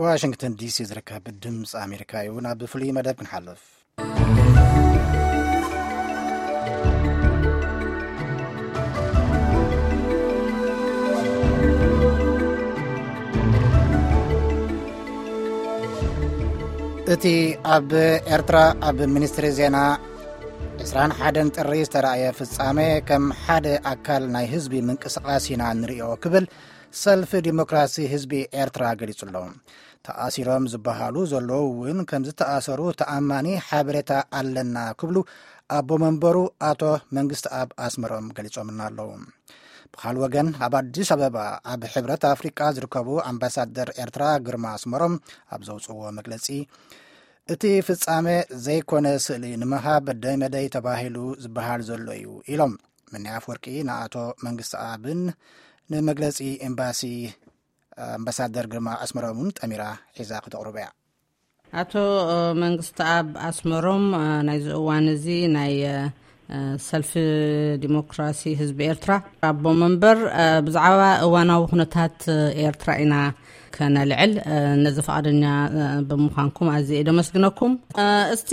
ዋሽንግተን ዲሲ ዝርከብ ድምፂ ኣሜሪካ እዩ። ናብ ፍሉይ መደብ ክንሓልፍ። እቲ ኣብ ኤርትራ ኣብ ሚኒስትሪ ዜና ዕስራን ሓደን ጥሪ ዝተራእየ ፍጻሜ ከም ሓደ ኣካል ናይ ህዝቢ ምንቅስቓስ ኢና ንርእዮ ክብል ሰልፊ ዲሞክራሲ ህዝቢ ኤርትራ ገሊጹ ኣሎ። ተኣሲሮም ዝበሃሉ ዘለዉ እውን ከም ዝተኣሰሩ ተኣማኒ ሓበሬታ ኣለና ክብሉ ኣቦ መንበሩ ኣቶ መንግስቲ ኣብ ኣስመሮም ገሊጾምና ኣለዉ። ብኻል ወገን ኣብ ኣዲስ ኣበባ ኣብ ሕብረት ኣፍሪቃ ዝርከቡ ኣምባሳደር ኤርትራ ግርማ ኣስመሮም ኣብ ዘውፅዎ መግለጺ እቲ ፍጻሜ ዘይኮነ ስእሊ ንምሃብ ደይ መደይ ተባሂሉ ዝበሃል ዘሎ እዩ ኢሎም። ምንያፍ ወርቂ ንኣቶ መንግስቲ ኣብን ንመግለጺ ኤምባሲ ኣምባሳደር ግርማ ኣስመሮምን ጠሚራ ሒዛ ክተቕርቦ እያ። ኣቶ መንግስቲ ኣብ ኣስመሮም ናይዚ እዋን እዚ ናይ ሰልፊ ዲሞክራሲ ህዝቢ ኤርትራ ኣቦ መንበር፣ ብዛዕባ እዋናዊ ኩነታት ኤርትራ ኢና ከነልዕል። ነዚ ፈቓደኛ ብምዃንኩም ኣዝየ እየ ደመስግነኩም። እስቲ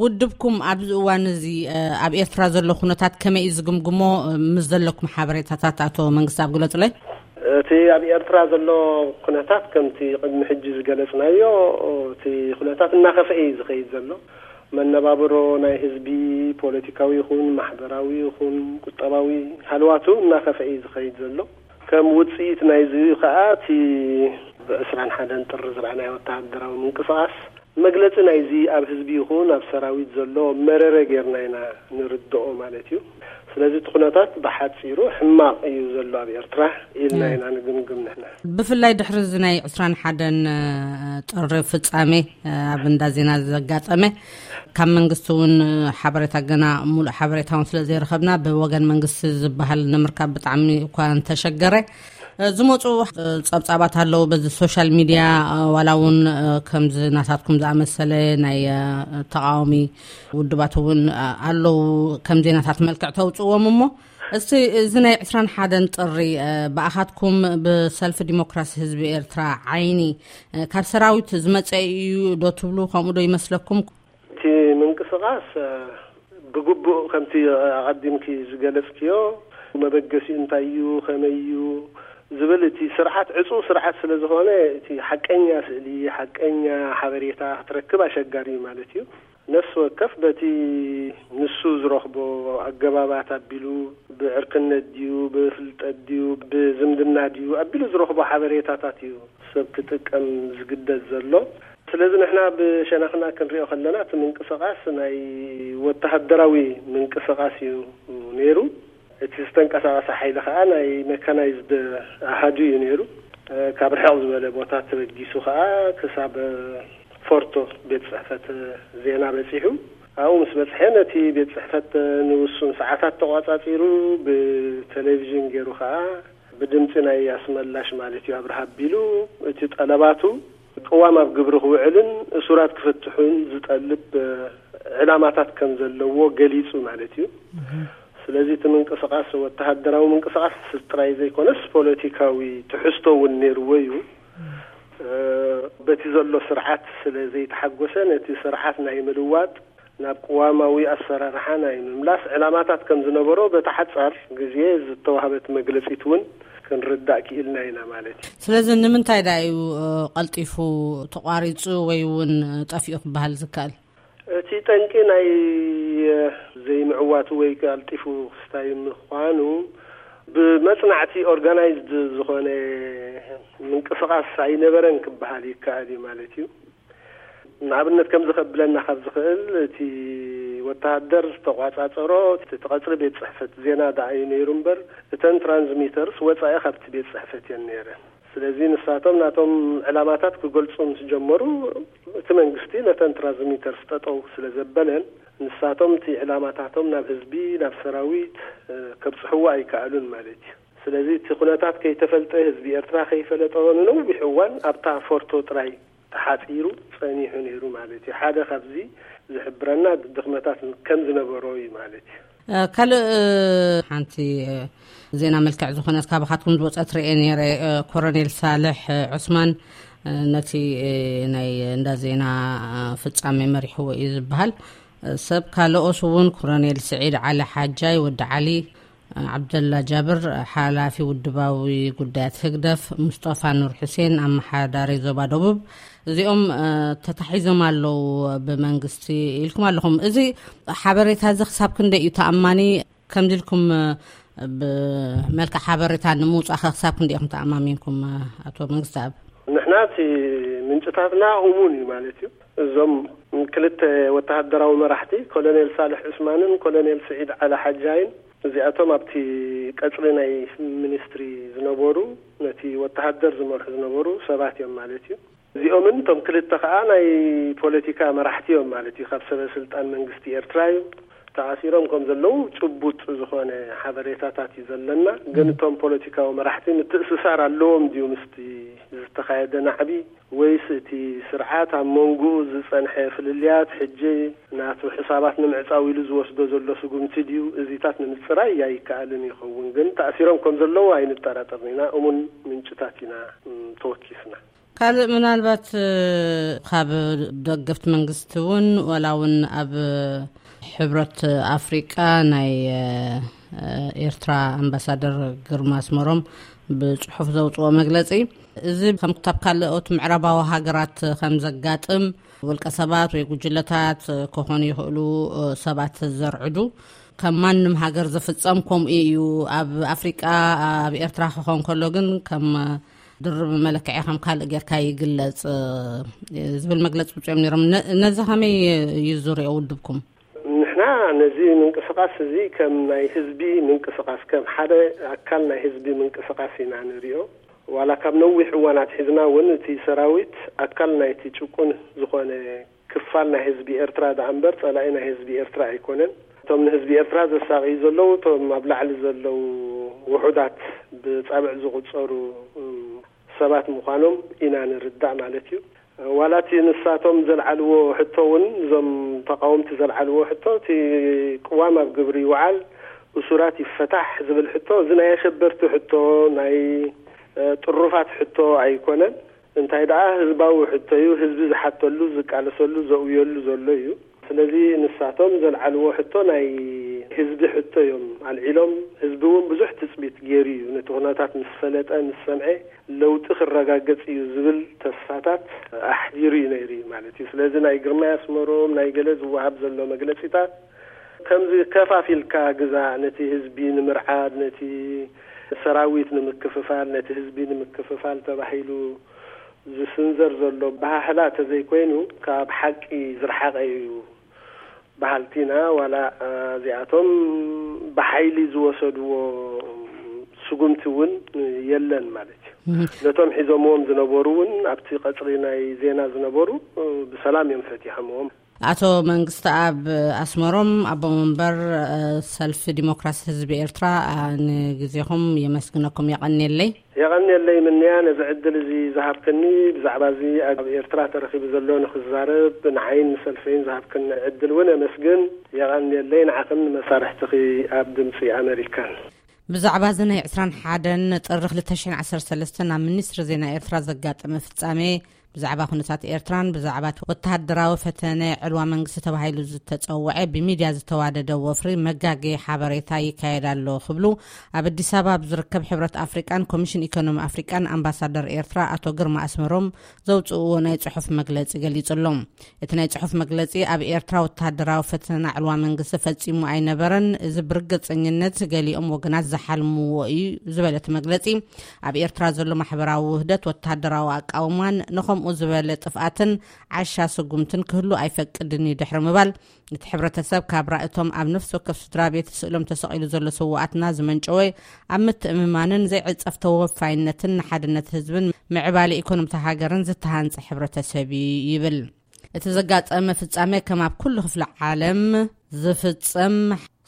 ውድብኩም ኣብዚ እዋን እዚ ኣብ ኤርትራ ዘሎ ኩነታት ከመይ እዩ ዝግምግሞ? ምስ ዘለኩም ሓበሬታታት ኣቶ መንግስቲ ኣብ ግለጹለይ። እቲ ኣብ ኤርትራ ዘሎ ኩነታት ከምቲ ቅድሚ ሕጂ ዝገለጽናዮ፣ እቲ ኩነታት እናኸፍአ እዩ ዝኸይድ ዘሎ። መነባብሮ ናይ ህዝቢ፣ ፖለቲካዊ ይኹን ማሕበራዊ ይኹን ቁጠባዊ ሃልዋቱ እናኸፍአ እዩ ዝኸይድ ዘሎ። ከም ውጽኢት ናይዚ ከኣ እቲ ብ ዕስራን ሓደን ጥሪ ዝረኣናዮ ወተሃደራዊ ምንቅስቓስ መግለጺ ናይዚ ኣብ ህዝቢ ይኹን ኣብ ሰራዊት ዘሎ መረረ ጌርና ኢና ንርድኦ ማለት እዩ። ስለዚ እቲ ኩነታት ብሓጺሩ ሕማቕ እዩ ዘሎ ኣብ ኤርትራ ኢልና ኢና ንግምግም ንሕና። ብፍላይ ድሕሪ እዚ ናይ ዕስራን ሓደን ጥሪ ፍጻሜ ኣብ እንዳ ዜና ዘጋጠመ፣ ካብ መንግስቲ እውን ሓበሬታ ገና ሙሉእ ሓበሬታ እውን ስለ ዘይረኸብና ብወገን መንግስቲ ዝበሃል ንምርካብ ብጣዕሚ እኳ እንተሸገረ፣ ዝመፁ ፀብፃባት ኣለዉ በዚ ሶሻል ሚድያ። ዋላ እውን ከምዚ ናታትኩም ዝኣመሰለ ናይ ተቃዋሚ ውድባት እውን ኣለዉ ከም ዜናታት መልክዕ ተውፅዎም። እሞ እስቲ እዚ ናይ ዕስራን ሓደን ጥሪ ብኣኻትኩም ብሰልፊ ዲሞክራሲ ህዝቢ ኤርትራ ዓይኒ ካብ ሰራዊት ዝመፀ እዩ ዶ ትብሉ? ከምኡ ዶ ይመስለኩም? እቲ ምንቅስቃስ ብግቡእ ከምቲ ኣቐዲምኪ ዝገለጽክዮ መበገሲኡ እንታይ እዩ፣ ከመይ እዩ ዝብል እቲ ስርዓት ዕጹው ስርዓት ስለ ዝኾነ እቲ ሓቀኛ ስእሊ፣ ሓቀኛ ሓበሬታ ክትረክብ ኣሸጋሪ እዩ ማለት እዩ። ነፍሲ ወከፍ በቲ ንሱ ዝረኽቦ ኣገባባት ኣቢሉ፣ ብዕርክነት ድዩ፣ ብፍልጠት ድዩ፣ ብዝምድና ድዩ ኣቢሉ ዝረኽቦ ሓበሬታታት እዩ ሰብ ክጥቀም ዝግደድ ዘሎ። ስለዚ ንሕና ብሸነኽና ክንሪኦ ከለና እቲ ምንቅስቃስ ናይ ወተሃደራዊ ምንቅስቃስ እዩ ነይሩ። እቲ ዝተንቀሳቐሰ ሓይሊ ከኣ ናይ መካናይዝድ ኣሃዱ እዩ ነይሩ። ካብ ርሕቕ ዝበለ ቦታ ተበጊሱ ከኣ ክሳብ ፎርቶ ቤት ጽሕፈት ዜና በጺሑ። ኣብኡ ምስ በጽሐ ነቲ ቤት ጽሕፈት ንውሱን ሰዓታት ተቋጻጺሩ ብቴሌቪዥን ገይሩ ከኣ ብድምጺ ናይ ኣስመላሽ ማለት እዩ ኣብርሃ ኣቢሉ እቲ ጠለባቱ ቅዋም ኣብ ግብሪ ክውዕልን እሱራት ክፍትሑን ዝጠልብ ዕላማታት ከም ዘለዎ ገሊጹ ማለት እዩ። ስለዚ እቲ ምንቅስቃስ ወተሃደራዊ ምንቅስቃስ ጥራይ ዘይኮነስ ፖለቲካዊ ትሕዝቶ እውን ነይርዎ እዩ። በቲ ዘሎ ስርዓት ስለ ዘይተሓጎሰ ነቲ ስርዓት ናይ ምልዋጥ ናብ ቅዋማዊ ኣሰራርሓ ናይ ምምላስ ዕላማታት ከም ዝነበሮ በቲ ሓጻር ግዜ ዝተዋህበት መግለጺት እውን ክንርዳእ ክኢልና ኢና ማለት እዩ። ስለዚ ንምንታይ ደኣ እዩ ቀልጢፉ ተቋሪጹ ወይ እውን ጠፊኡ ክበሃል ዝከኣል? እቲ ጠንቂ ናይ ዘይምዕዋቱ ወይ ቀልጢፉ ክስታይ ምዃኑ ብመጽናዕቲ ኦርጋናይዝድ ዝኾነ ምንቅስቃስ ኣይነበረን ክበሃል ይከኣል እዩ ማለት እዩ። ንኣብነት ከምዚ ከብለና ካብ ዝኽእል እቲ ወተሃደር ዝተቋጻጸሮ እቲ ቀጽሪ ቤት ጽሕፈት ዜና ደኣ እዩ ነይሩ እምበር እተን ትራንስሚተርስ ወጻኢ ካብቲ ቤት ጽሕፈት እየን ነይረን። ስለዚ ንሳቶም ናቶም ዕላማታት ክገልጹ ምስ ጀመሩ እቲ መንግስቲ ነተን ትራንስሚተርስ ጠጠው ስለ ዘበለን ንሳቶም እቲ ዕላማታቶም ናብ ህዝቢ ናብ ሰራዊት ከብጽሕዎ ኣይከኣሉን ማለት እዩ። ስለዚ እቲ ኩነታት ከይተፈልጠ ህዝቢ ኤርትራ ከይፈለጦ ንነዊሕ እዋን ኣብታ ፎርቶ ጥራይ ተሓጺሩ ጸኒሑ ነይሩ ማለት እዩ። ሓደ ካብዚ ዝሕብረና ድኽመታት ከም ዝነበሮ እዩ ማለት እዩ። ካልእ ሓንቲ ዜና መልክዕ ዝኾነት ካባኻትኩም ዝወፀት ርኤ ነይረ። ኮረኔል ሳልሕ ዑስማን ነቲ ናይ እንዳ ዜና ፍጻሜ መሪሕዎ እዩ ዝበሃል ሰብ ካልኦስ እውን ኮሎኔል ስዒድ ዓሊ ሓጃይ፣ ወዲ ዓሊ፣ ዓብደላ ጃብር፣ ሓላፊ ውድባዊ ጉዳያት ህግደፍ፣ ሙስጠፋ ኑር ሑሴን፣ ኣመሓዳሪ ዞባ ደቡብ፣ እዚኦም ተታሒዞም ኣለዉ ብመንግስቲ ኢልኩም ኣለኹም። እዚ ሓበሬታ እዚ ክሳብ ክንደይ እዩ ተኣማኒ? ከምዚ ኢልኩም ብመልክዕ ሓበሬታ ንምውፃእ ክሳብ ክንደይ ኢኹም ተኣማሚንኩም? ኣቶ መንግስቲ ኣብ ንሕና እቲ ምንጭታትና እሙን እዩ ማለት እዩ። እዞም ክልተ ወተሃደራዊ መራሕቲ ኮሎኔል ሳልሕ ዑስማንን ኮሎኔል ስዒድ ዓላ ሓጃይን፣ እዚኣቶም ኣብቲ ቀጽሪ ናይ ሚኒስትሪ ዝነበሩ፣ ነቲ ወተሃደር ዝመርሑ ዝነበሩ ሰባት እዮም ማለት እዩ። እዚኦምን እቶም ክልተ ከኣ ናይ ፖለቲካ መራሕቲ እዮም ማለት እዩ። ካብ ሰበ ስልጣን መንግስቲ ኤርትራ እዩ። ተኣሲሮም ከም ዘለዉ ጭቡጥ ዝኾነ ሓበሬታታት እዩ ዘለና። ግን እቶም ፖለቲካዊ መራሕቲ ምትእስሳር ኣለዎም ድዩ ምስቲ ዝተኻየደ ናዕቢ፣ ወይስ እቲ ስርዓት ኣብ መንጎኡ ዝጸንሐ ፍልልያት ሕጂ ናቱ ሕሳባት ንምዕጻው ኢሉ ዝወስዶ ዘሎ ስጉምቲ ድዩ? እዚታት ንምጽራይ ኣይከኣልን ይኸውን። ግን ተኣሲሮም ከም ዘለዉ ኣይንጠራጠርን ኢና። እሙን ምንጭታት ኢና ተወኪስና። ካልእ ምናልባት ካብ ደገፍቲ መንግስቲ እውን ዋላ እውን ኣብ ሕብረት ኣፍሪቃ ናይ ኤርትራ ኣምባሳደር ግርማ ኣስመሮም ብጽሑፍ ዘውፅኦ መግለጺ፣ እዚ ከም ካብ ካልኦት ምዕራባዊ ሃገራት ከም ዘጋጥም፣ ውልቀ ሰባት ወይ ጉጅለታት ክኾኑ ይኽእሉ፣ ሰባት ዘርዕዱ፣ ከም ማንም ሃገር ዝፍጸም ከምኡ እዩ። ኣብ ኣፍሪቃ፣ ኣብ ኤርትራ ክኾን ከሎ ግን ከም ድርብ መለክዒ ከም ካልእ ጌርካ ይግለጽ ዝብል መግለጺ ውፅኦም ነይሮም። ነዚ ከመይ እዩ ዝሪኦ ውድብኩም? ንሕና ነዚ ምንቅስቃስ እዚ ከም ናይ ህዝቢ ምንቅስቃስ፣ ከም ሓደ ኣካል ናይ ህዝቢ ምንቅስቃስ ኢና ንሪኦ። ዋላ ካብ ነዊሕ እዋን ኣትሒዝና እውን እቲ ሰራዊት ኣካል ናይቲ ጭቁን ዝኾነ ክፋል ናይ ህዝቢ ኤርትራ ደኣ እምበር ጸላኢ ናይ ህዝቢ ኤርትራ ኣይኮነን። እቶም ንህዝቢ ኤርትራ ዘሳቕዩ ዘለዉ፣ እቶም ኣብ ላዕሊ ዘለዉ ውሑዳት ብጻብዕ ዝቑጸሩ ሰባት ምዃኖም ኢና ንርዳእ ማለት እዩ። ዋላ እቲ ንሳቶም ዘልዓልዎ ሕቶ እውን፣ እዞም ተቃወምቲ ዘልዓልዎ ሕቶ፣ እቲ ቅዋም ኣብ ግብሪ ይውዓል፣ እሱራት ይፈታሕ ዝብል ሕቶ፣ እዚ ናይ ኣሸበርቲ ሕቶ፣ ናይ ጥሩፋት ሕቶ ኣይኮነን። እንታይ ደኣ ህዝባዊ ሕቶ እዩ፣ ህዝቢ ዝሓተሉ፣ ዝቃለሰሉ፣ ዘውየሉ ዘሎ እዩ። ስለዚ ንሳቶም ዘልዓልዎ ሕቶ ናይ ህዝቢ ሕቶ እዮም ኣልዒሎም። ህዝቢ እውን ብዙሕ ትጽቢት ገይሩ እዩ፣ ነቲ ኩነታት ምስ ፈለጠ፣ ምስ ሰምዐ፣ ለውጢ ክረጋገጽ እዩ ዝብል ተስፋታት ኣሕዲሩ እዩ ነይሩ ማለት እዩ። ስለዚ ናይ ግርማይ ኣስመሮም ናይ ገለ ዝወሃብ ዘሎ መግለጺታት፣ ከምዚ ከፋፊልካ ግዛእ፣ ነቲ ህዝቢ ንምርዓድ፣ ነቲ ሰራዊት ንምክፍፋል፣ ነቲ ህዝቢ ንምክፍፋል ተባሂሉ ዝስንዘር ዘሎ ኣበሃህላ ተዘይኮይኑ፣ ካብ ሓቂ ዝረሓቐ እዩ በሃልቲ ኢና። ዋላ እዚኣቶም ብሓይሊ ዝወሰድዎ ስጉምቲ እውን የለን ማለት እዩ። ነቶም ሒዞምዎም ዝነበሩ እውን፣ ኣብቲ ቀጽሪ ናይ ዜና ዝነበሩ፣ ብሰላም እዮም ፈቲሖምዎም። ኣቶ መንግስተኣብ ኣስመሮም፣ ኣቦ መንበር ሰልፊ ዲሞክራሲ ህዝቢ ኤርትራ፣ ንግዜኹም የመስግነኩም። የቐንየለይ። የቐንየለይ ምንያ፣ ነዚ ዕድል እዚ ዝሃብክኒ፣ ብዛዕባ እዚ ኣብ ኤርትራ ተረኺቡ ዘሎ ንክዛረብ ንዓይን ንሰልፈይን ዝሃብክኒ ዕድል እውን የመስግን። የቐንየለይ፣ ንዓኽን ንመሳርሕትኺ ኣብ ድምፂ ኣመሪካን። ብዛዕባ እዚ ናይ ዕስራን ሓደን ጥሪ ክልተ ሽሕን ዓሰርተ ሰለስተን ኣብ ሚኒስትሪ ዜና ኤርትራ ዘጋጠመ ፍጻሜ፣ ብዛዕባ ኩነታት ኤርትራን ብዛዕባ ወተሃደራዊ ፈተነ ዕልዋ መንግስቲ ተባሂሉ ዝተጸውዐ ብሚድያ ዝተዋደደ ወፍሪ መጋገዪ ሓበሬታ ይካየድ ኣሎ ክብሉ ኣብ ኣዲስ ኣበባ ኣብ ዝርከብ ሕብረት ኣፍሪቃን ኮሚሽን ኢኮኖሚ ኣፍሪቃን ኣምባሳደር ኤርትራ ኣቶ ግርማ ኣስመሮም ዘውጽእዎ ናይ ጽሑፍ መግለጺ ገሊጹ ኣሎ። እቲ ናይ ጽሑፍ መግለጺ፣ ኣብ ኤርትራ ወተሃደራዊ ፈተና ዕልዋ መንግስቲ ፈጺሙ ኣይነበረን። እዚ ብርግጸኝነት ገሊኦም ወገናት ዝሓልምዎ እዩ ዝበለ እቲ መግለጺ፣ ኣብ ኤርትራ ዘሎ ማሕበራዊ ውህደት፣ ወተሃደራዊ ኣቃውማን ንኸምኡ ዝበለ ጥፍኣትን ዓሻ ስጉምትን ክህሉ ኣይፈቅድን እዩ ድሕሪ ምባል፣ እቲ ሕብረተሰብ ካብ ራእቶም ኣብ ነፍሲ ወከፍ ስድራ ቤት ስእሎም ተሰቒሉ ዘሎ ስውኣትና ዝመንጨወ፣ ኣብ ምትእምማንን ዘይዕጸፍ ተወፋይነትን ንሓድነት ህዝብን ምዕባለ ኢኮኖሚታ ሃገርን ዝተሃንጸ ሕብረተሰብ እዩ ይብል። እቲ ዘጋጠመ ፍጻሜ ከም ኣብ ኩሉ ክፍለ ዓለም ዝፍጸም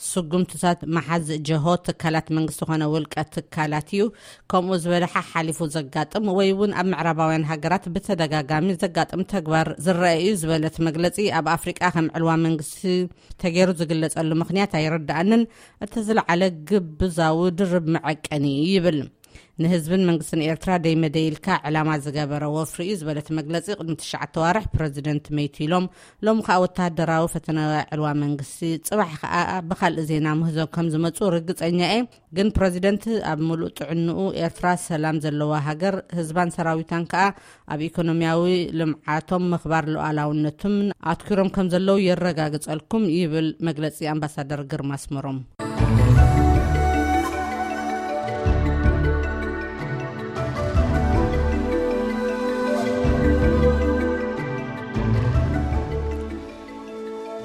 ስጉምትታት መሓዚ ጀሆ ትካላት መንግስቲ ኮነ ውልቀ ትካላት እዩ። ከምኡ ዝበለ ሓሓሊፉ ዘጋጥም ወይ እውን ኣብ ምዕራባውያን ሃገራት ብተደጋጋሚ ዘጋጥም ተግባር ዝረአ እዩ ዝበለት መግለጺ፣ ኣብ ኣፍሪቃ ከም ዕልዋ መንግስቲ ተገይሩ ዝግለጸሉ ምኽንያት ኣይርድኣንን። እቲ ዝለዓለ ግብዛዊ ድርብ መዐቀኒ እዩ ይብል። ንህዝብን መንግስትን ኤርትራ ደይመደይልካ ዕላማ ዝገበረ ወፍሪ እዩ ዝበለት መግለጺ፣ ቅድሚ ትሽዓተ ዋርሕ ፕረዚደንት መይቱ ኢሎም፣ ሎም ከኣ ወተሃደራዊ ፈተነ ዕልዋ መንግስቲ፣ ጽባሕ ከኣ ብካልእ ዜና ምህዞ ከም ዝመጹ ርግጸኛ እየ። ግን ፕረዚደንት ኣብ ምሉእ ጥዕንኡ ኤርትራ ሰላም ዘለዋ ሃገር፣ ህዝባን ሰራዊታን ከኣ ኣብ ኢኮኖሚያዊ ልምዓቶም፣ ምኽባር ሉዓላውነቱም ኣትኪሮም ከም ዘለዉ የረጋግጸልኩም ይብል መግለጺ ኣምባሳደር ግርማ ኣስመሮም።